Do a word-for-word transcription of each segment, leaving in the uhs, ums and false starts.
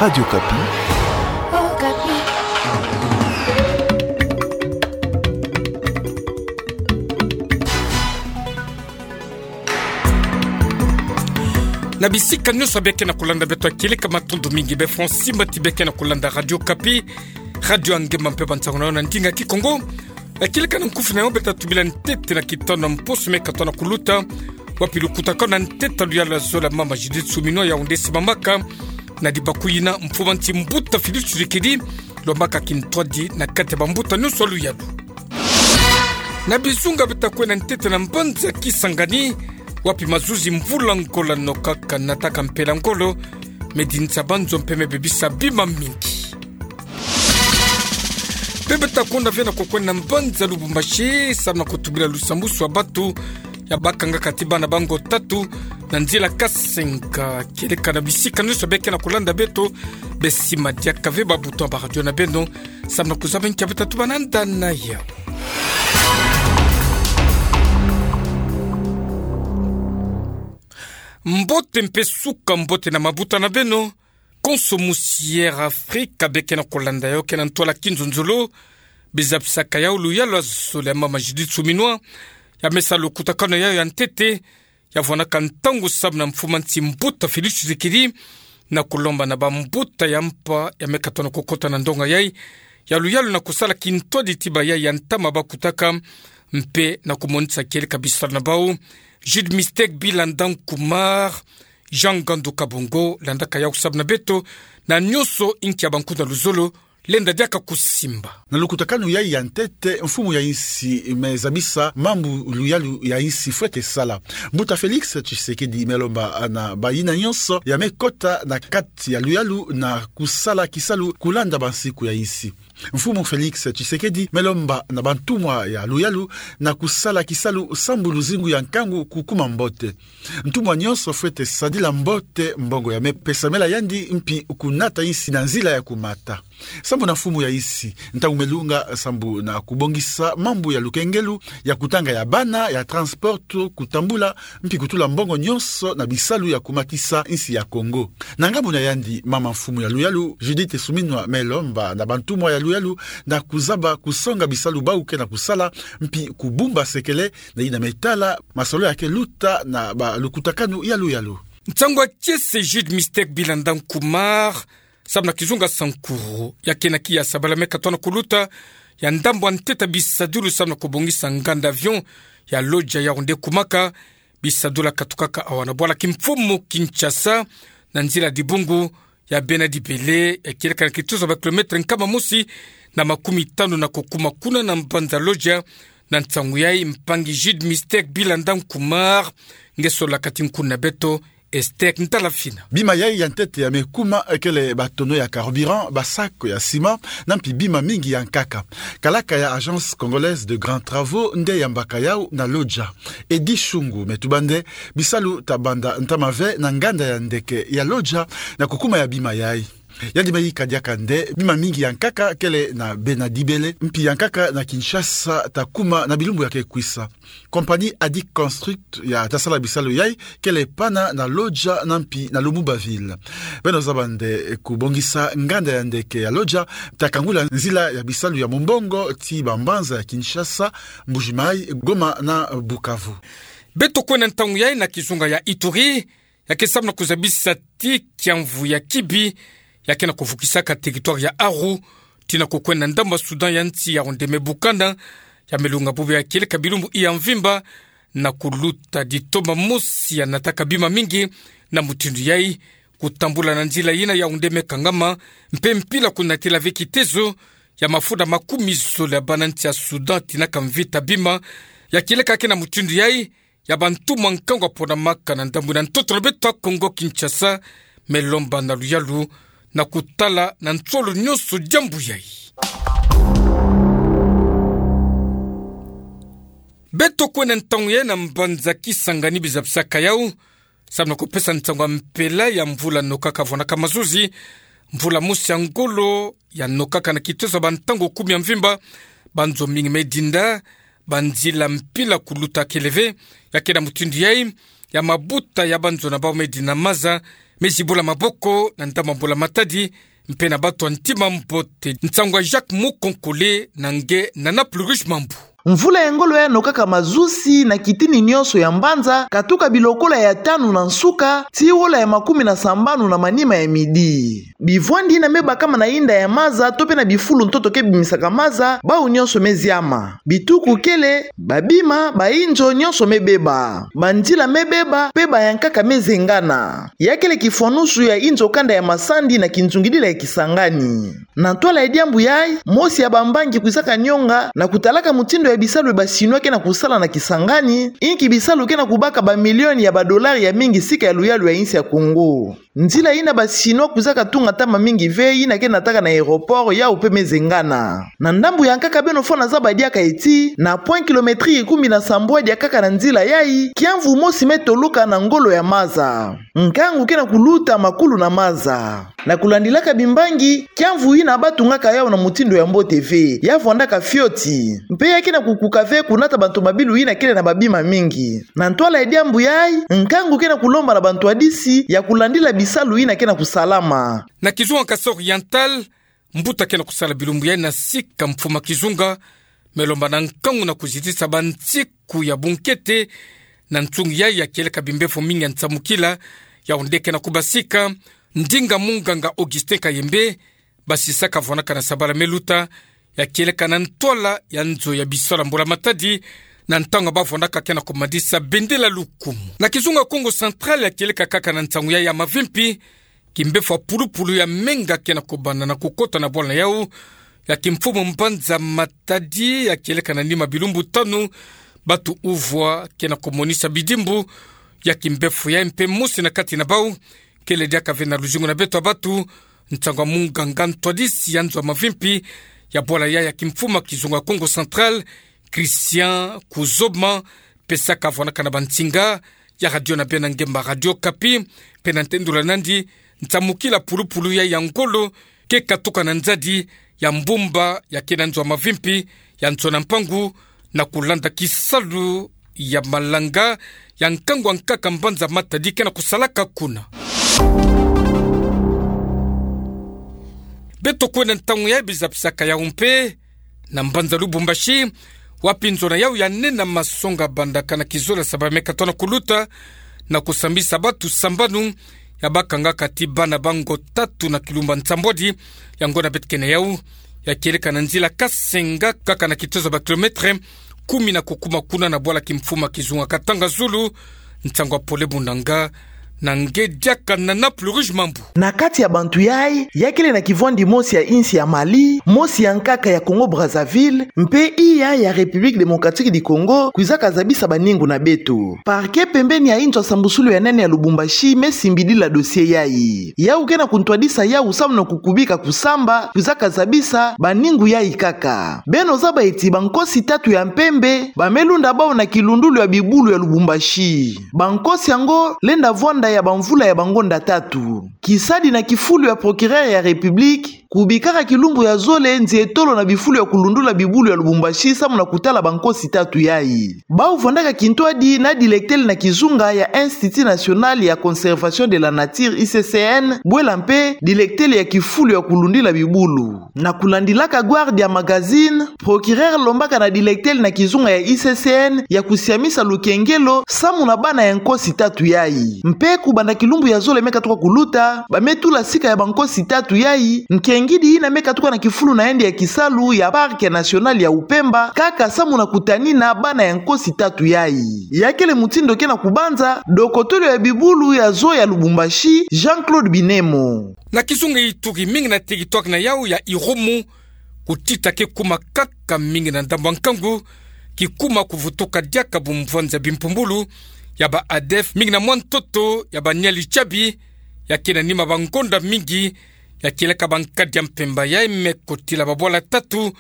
Radio Okapi. Na bisika nyonso beke na kolanda beto, kieleka matondo mingi. Be Francine Mati beke na kolanda Radio Okapi, radio ya nge mpe ba nsangu na yo na ndinga Kikongo. Kieleka na nkufi na yo, beta tubila ntete na kitanu na mposo me katoa na kuluta, wapi lukutakanu ya ntete ya luyalu ya zole ya mama Judith Suminwa ya onde simamaka na dibaku yina mfumanti mbuta Félix Tshisekedi, lombaka kintwadi na kati ya bambuta nyonso ya luyalu. Na bizunga beta kwenda ntete na mbanza Kisangani, wapi mazuzi mvula ngolo nokaka nataka mpela ngolo, me dinisa banzo mpe me bebisa bima mingi. Mpe beta konda ve na kokwenda na mbanza Lubumbashi, samu na kotubila lusambusu ya batu ya bakangaka ti bana ba ngo tatu na nzila kasenga. Kieleka na bisika nyonso beke na kolanda beto, besi madiaka ve ba bouton ya ba radio na beno, samu na kuzaba nkia beta tubana nda na yau. Mbote mpe suka mbote na mabuta na beno. Konso musi Air Afrique beke na kolanda yo, ke na ntwala kinzonzolo, bizabisaka yau luyalu ya zole ya mama Judith Suminwa, ya me sa lukutakanu ya yau ya ntete, ya vwanaka ntangu samu na mfumanti mbuta Félix Tshisekedi, na kolomba na bambuta ya mpa ya me katoa na kokota na ndonga yai ya luyalu na kosala kintwadi ti bayai ya ntama bakutaka, mpe na komonisa kieleka bisalu na bau. Jude Mistek Bilanda Nkumar, Jean Ngandu Kabongo, landaka yau samu na beto, na nyonso inki ya bankuta na luzolo, lenda diaka kusimba. Na lukutakanu yai ya ntete, mfumu ya insi me zabisa mambu luyalu ya insi fwete sala. Mbuta Félix Tshisekedi me lomba na bayina nyonso ya me kota na kati ya luyalu na kusala kisalu kulanda bansiku ya insi. Mfumu Félix Tshisekedi me lomba na bantumwa ya luyalu na kusala kisalu sambu luzingu ya nkangu kukuma mbote. Ntumwa nyonso fwete sadila mbote mbongo ya me pesamela yandi mpi kunata insi na nzila ya kumata. Sambu na mfumu ya insi, ntangu me lunga sambu na kubongisa mambu ya lukengelu, ya kutanga ya bana, ya transport, kutambula, mpi kutula mbongo nyonso na bisalu ya kumatisa insi ya Kongo. Na ngambu na yandi, mama mfumu ya luyalu, Judith Suminwa, me lomba na bantumwa ya luyalu na kuzaba kusonga bisalu bau ke na kusala, mpi kubumba sekele na yina me tala masolo ya ke luta na balukutakanu ya luyalu. Nsangu ya kiese Jude Mistek Bilanda Nkumar, samu na kizunga Sankuru, ya ke na kiya Sabala me katoa na kuluta, ya ndambu ya ntete ya bisadulu samu na kubongisa nganda avion ya Lodja ya onde kumaka, bisadulu ya katukaka awa na bwala kimfumu Kinshasa, na nzila Dibungu, ya bena dibele, ya kieleka na kituza ba kilometre nkama mosi na makumi tanu na kukuma kuna na mbanza Lodja. Na nsangu yai mpangi Jude Mistek Bilanda Nkumar, nge solola kati nkuna na beto, Esther Ntalafina. Bima yai ya ntete ya me kuma kele batono ya carburant, basako ya ciment, na mpi bima mingi ya nkaka. Kalaka ya Agence Congolaise de Grands Travaux nde yambaka yau na Lodja. Eddy Shungu me tuba nde bisalu ta banda ntama ve na nganda ya ndeke ya Lodja na kukuma ya bima yai. Yandi me yika diaka nde bima mingi ya nkaka kele na bena dibele, mpi ya nkaka na Kinshasa ta kuma na bilumbu ya ke kwisa. Compagnie Adic Construct ya ta sala bisalu yai kele pana na Lodja na mpi na Lumumbaville. Beno zaba nde kubongisa nganda ya ndeke ya Lodja ta kangula nzila ya bisalu ya mumbongo ti bambanza ya Kinshasa, Mbuji-Mayi, Goma na Bukavu. Beto kwenda ntangu yai na kizunga ya Ituri, ya ke samu na kuzabisa ti kiamvu ya kibi ya ke na kuvukisaka territoire ya Aru, tii na kukwenda ndambu ya Soudan ya nsi ya onde me bukana, ya me lunga bubu ya kieleka bilumbu iya mvimba, na kuluta ditoma mosi ya nataka bima mingi. Na mutindu yai, kutambula na nzila yina ya onde me kangama, mpe mpila kunatila ve kitezo ya mafunda makumi zole ya bana nsi ya Soudan tinaka mvita bima. Ya kieleka ke na mutindu yai, ya bantumwa nkangu ya ponamaka na ndambu na ntoto na beto ya Kongo Kinshasa, me lomba na luyalu na kutala na nsolo nyonso diambu yai. Beto kwenda ntangu yai na mbanza Kisangani, bizabisaka yau samu na kupesa nsangu ya mpela ya mvula nokaka vwanaka mazuzi, mvula mosi ya ngolo ya nokaka na kitezo ya bantangu kumi ya mvimba, banzo mingi me dinda, banzila mpila kuluta kele ve. Ya ke na mutindu yai, ya mabuta ya banzo na bau me dinda maza, mezi bula maboko na ndambu ya mbula matadi, mpe na bato ya ntima mbote. Nsangu ya Jacques Mukonkole na nge na Nana Plurish Mambu. Mvula ya ngolo yano kaka mazusi na kitini nyonso ya mbanza, katuka bilokola ya tanu na nsuka, tii wola ya makumi na sambanu na manima ya midi. Bivwandi yina me bakama na yinda ya maza, to pe na bifulu ntoto ke bimisaka maza, bawu nyonso me ziama. Bituku kele, babima, bayinzo nyonso me beba. Banzila me beba, pe bayankaka me zengana. Ya kele kifwanusu ya yinzo kanda ya masandi na kinzungidila ya Kisangani. Na ntwala ya diambu yayi, mosi ya bambangi kwizaka nyonga na kutalaka mutindu ya bisalu ya ba Chinois ke na kusala na Kisangani, inki bisalu ke na kubaka bamilioni ya badolari ya mingi sika ya luyalu ya insi ya Kongo. Nzila yina ba Chinois kwizaka tunga ntama mingi ve, yina ke nataka na aéroport, yawu pe me zengana. Na ndambu ya nkaka beno fwana zaba diaka ti, na point kilométrique kumi na sambwadi ya nkaka na nzila yayi, kiamvu mosi me toloka na ngolo ya maza. Nkangu ke na kuluta makulu na maza. Na kulandilaka bimbangi, kiamvu yina ba tungaka yawu na mutindu ya mbote ve, ya vwandaka fioti. Mpe ya ke na kukuka ve kunata bantu mabilu yina kele na babima mingi. Na ntwala ya diambu yayi, nkangu ke na kulomba na bantwadisi ya kulandila bisalu yina ke na kusalama. Na kizunga Kasaï Oriental, mbuta ke na kusala bilumbu yayi na sika mfuma kizunga, me lomba na nkangu na kuzitisa bansiku ya bunkete, na nsungi yayi ya kieleka bimbevo mingi ya nsamukila, yawu nde ke na kubasika, ndinga munganga Augustin Kayembe, basisaka vwanaka na sabala me luta, ya kieleka na ntwala ya nzo ya bisalu ya mbula matadi, na ntangu ba vwanaka ke na kumadisa bendela lukumu. Na kizunga Kongo Central ya kieleka kaka na nsangu yayi ya mavimpi, kimbevo ya pulupulu ya menga ke na kubanda na kukota na bwala na yawu, ya kimfumu mbanza matadi ya kieleka na nima bilumbu tanu, batu uvwa ke na kumonisa bidimbu ya kimbevo yayi mpe mosi na kati na bawu, kele diaka ve na luzingu na beto ya batu, nsangu ya munganga ntwadisi ya nzo ya mavimpi ya bwala yayi ya kimfumu ya kizunga Kongo Central, Christian Kuzoma, pesaka vwanaka na bansinga ya radio na bena ngemba Radio Okapi, mpe na ntendula nandi, nsamukila pulupulu yayi ya ngolo ke katuka na nzadi ya mbumba ya ke na nzo ya mavimpi ya Ntsona Mpangu, na kulanda kisalu ya malanga ya nkangu ya nkaka mbanza matadi ke na kusalaka kuna. Beto kwenda ntangu yayi bizapisaka yawu mpe na mbanza Lubumbashi, wapi nzo na yawu ya nene ya masonga bandaka na kizolo ya sabala me katono kuluta, na kusambisa batu sambanu, ya bakangaka ti bana bango tatu na kilumbu ya nsambwadi, yango na beto ke na yawu, ya kieleka na nzila Kasenga, kaka na kitozo ya ba kilomètre kumi na kukuma kuna na bwala kimfumu ya kizunga Katanga Zulu, nsangu ya pole bunanga, na nge diaka Nana Plurish Mambu. Na kati ya bantu yayi, ya kele na kivwandi mosi ya insi ya Mali, mosi ya nkaka ya Congo Brazzaville, mpe iya ya République Démocratique du Congo, kwizaka zabisa baningu na beto. Parquet pembeni ya inzo ya sambusulu ya nene ya Lubumbashi me simbidila dossier yayi. Yawu ke na kuntwadisa yawu samu na kukubika kusamba, kwizaka zabisa baningu yayi kaka. Beno zaba ti bankosi tatu ya mpembe, ba me lunda bawu na kilundulu ya bibulu ya Lubumbashi. Bankosi yango lenda vwanda ya bamvula ya bangonda tatu. Kisadi na kifulu ya procureur ya République, kubikaka kilumbu ya zole nzietolo na bifulu ya kulundula bibulu ya Lubumbashi samu na kutala bankosi tatu yayi. Bawu vwandaka kintwadi na diletele na kizunga ya Institut National ya Conservation de la Nature, I C C N, bwela mpe diletele ya kifulu ya kulundila bibulu. Na kulandilaka Guardia Magazine, procureur lombaka na diletele na kizunga ya I C C N ya kusiamisa lukengelo samu na bana ya nkosi tatu yayi. Mpe kubanda kilumbu ya zole me katuka kuluta, ba me tula sika ya bankosi tatu yayi, nkengidi yina me katuka na kifulu na yandi ya kisalu ya Parc National ya Upemba, kaka samu na kutanina bana ya nkosi tatu yayi. Ya kele mutindu ke na kubanza dokotolo ya bibulu ya zoo ya Lubumbashi, Jean-Claude Binemo. Na kizunga Ituri, mingi na territoire na yawu ya Irumu, kutita ke kuma kaka mingi na ndambu ya nkangu, kikuma kuvutuka diaka bumvwanza bimpumbulu ya ba ADF, mingi na mwa ntoto ya ba Nyali Tchabi, ya ke na nima bangonda mingi, ya kieleka ba nkadi ya mpemba yayi me kotila babwala tatu,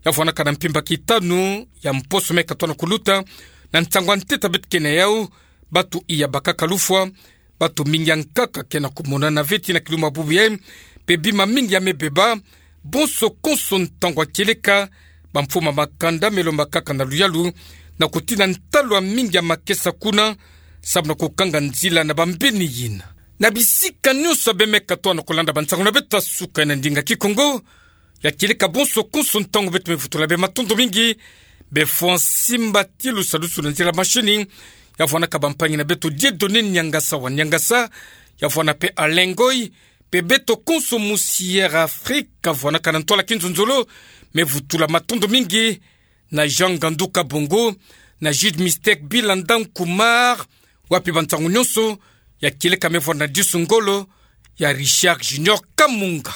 ya vwanaka na mpimpa kitanu ya mposo me katono kuluta, na nsangu ya ntete beto ke na yawu, batu iya bakaka lufwa, batu mingi ya nkaka ke na kumonana ve ti na kilumbu ya bubu yayi, mpe bima mingi ya me beba, bonso konso ntangu ya kieleka, bamfumu ya makanda me lomba kaka na luyalu, na kutina ntalu ya mingi ya makesa kuna, samu na kukanga nzila na bambeni yina. Na bisika nyonso abe mekatoa na kolanda bansango na beto ya suka na ndinga Kikongo, ya kieleka bonso konso ntangu beto mevutula be matondo mingi be fwa nsimbatilu salusulu na nzila mashini, ya vwanaka bampangi na beto Dieudonné Niangasa wa Niangasa, ya vwana pe Alain Ngoy, pe beto konso mu Sierra Afrika, vwanaka na ntwala kinzonzolo, mevutula matondo mingi na Jean Ngandu Kabongo, na Jude Mistake Bilanda Nkumar, wapi bansango nyonso, ya kieleka mevwana Disu Ngolo, ya Richard Junior Kamunga.